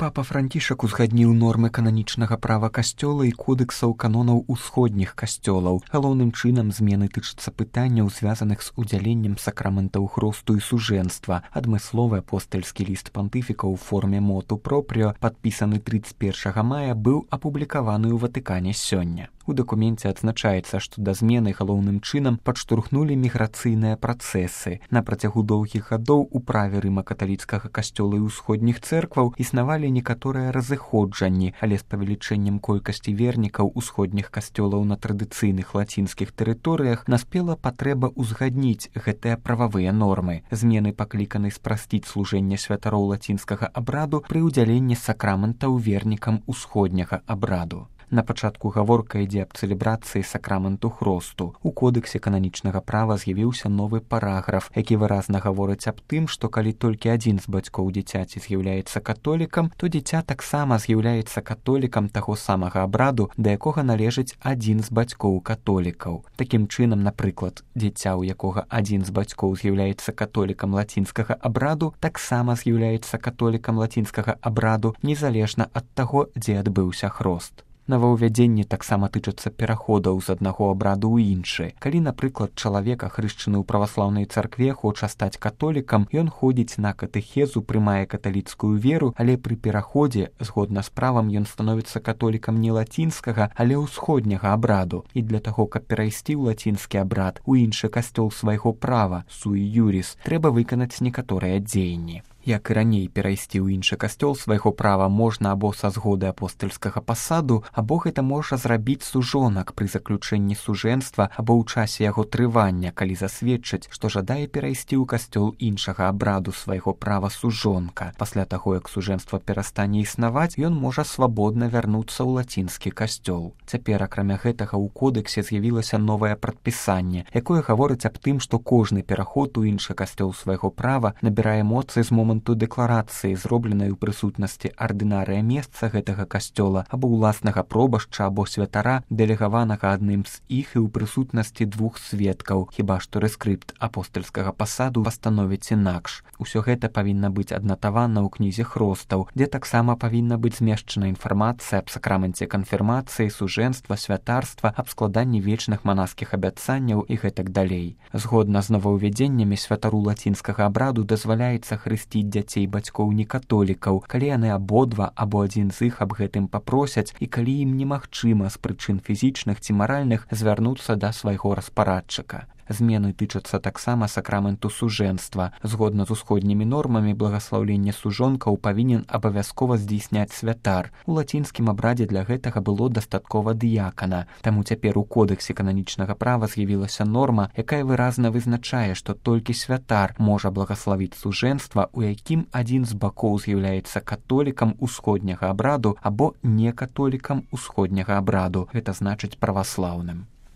Папа Францішак узгадніў нормы кананічнага права касцёла і кодэксаў канонаў усходніх касцёлаў. Галоўным чынам змены тычацца пытанняў, звязаных з удзяленнем сакраментаў хросту і сужэнства. Адмысловы апостальскі ліст пантыфіка ў форме моту пропріо, падпісаны 31 мая, быў апублікаваны ў Ватыкане сёння. У дакуменце адзначаецца, што да змены галоўным чынам падштурхнулі міграцыйныя працэсы. На працягу доўгіх гадоў у праве рыма-каталіцкага касцёла і ўсходніх цэркваў існавалі некаторыя разыходжанні, але з павелічэннем колькасці вернікаў усходніх касцёлаў на традыцыйных лацінскіх тэрыторыях наспела патрэба ўзгадніць гэтыя прававыя нормы. Змены пакліканы спрасціць служэнне святароў лацінскага абраду пры ўдзяленні сакраментаў вернікам усходняга абраду. На пачатку гаворка ідзе аб цэлебрацыі сакраменту хросту. У кодэксе кананічнага права з'явіўся новы параграф, які выразна гаворыць аб тым, што калі толькі адзін з бацькоў дзіцяці з'яўляецца католікам, то дзіця таксама з'яўляецца католікам таго самага абраду, да якога належыць адзін з бацькоў католікаў. Такім чынам, напрыклад, дзіця, у якога адзін з бацькоў з'яўляецца католікам лацінскага абраду, таксама з'яўляецца католікам лацінскага абраду, незалежна ад таго, дзе адбыўся хрост. Новаўвядзенні таксама тычацца пераходаў з аднаго абраду ў іншы. Калі, напрыклад, чалавек, ахрышчаны ў праваслаўнай царкве, хоча стаць католікам, ён ходзіць на катэхезу, прымае каталіцкую веру, але пры пераходзе, згодна з правам, ён становіцца католікам не лацінскага, але ўсходняга абраду. І для таго, каб перайсці ў лацінскі абрад, у іншы касцёл свайго права, суі юрис, трэба выканаць некаторыя дзеянні. Як і раней, перайсці ў іншы касцёл свайго права можна або са згоды апостальскага пасаду, або гэта можа зрабіць сужонак пры заключэнні сужэнства або ў часе яго трывання, калі засведчыць, што жадае перайсці ў касцёл іншага абраду свайго права сужонка. Пасля таго, як сужэнства перастане існаваць, ён можа свабодна вярнуцца ў лацінскі касцёл. Цяпер, акрамя гэтага, у кодэксе з'явілася новае прадпісанне, якое гаворыць аб тым, што кожны пераход у іншы касцёл свайго права набірае моцы з моманту дэкларацыі, зробленай у прысутнасці ардынарыя месца гэтага касцёла або ўласнага пробашча або святара, дэлегаванага адным з іх і ў прысутнасці двух сведкаў, хіба што рэскрыпт апостальскага пасаду пастановіць інакш. Усё гэта павінна быць аднатавана ў кнізе хростаў, дзе таксама павінна быць змешчана інфармацыя аб сакраменце канфірмацыі, сужэнства, святарства, аб складанні вечных манаскіх абяцанняў і гэтак далей. Згодна з новаўвядзеннямі святару лацінскага абраду дазваляецца хрысціць дзяцей бацькоў некатолікаў, калі яны абодва або адзін з іх аб гэтым папросяць і калі ім немагчыма з прычын фізічных ці маральных звярнуцца да свайго распарадчыка. Змены тычацца таксама сакраменту сужэнства. Згодна з усходнімі нормамі, благаслаўленне сужонкаў павінен абавязкова здзейсняць святар. У лацінскім абрадзе для гэтага было дастаткова дыякана. Таму цяпер у кодэксе кананічнага права з'явілася норма, якая выразна вызначае, што толькі святар можа благаславіць сужэнства, у якім адзін з бакоў з'яўляецца католікам усходняга абраду або некатолікам усходняга абраду, гэта значыць праваслаўным.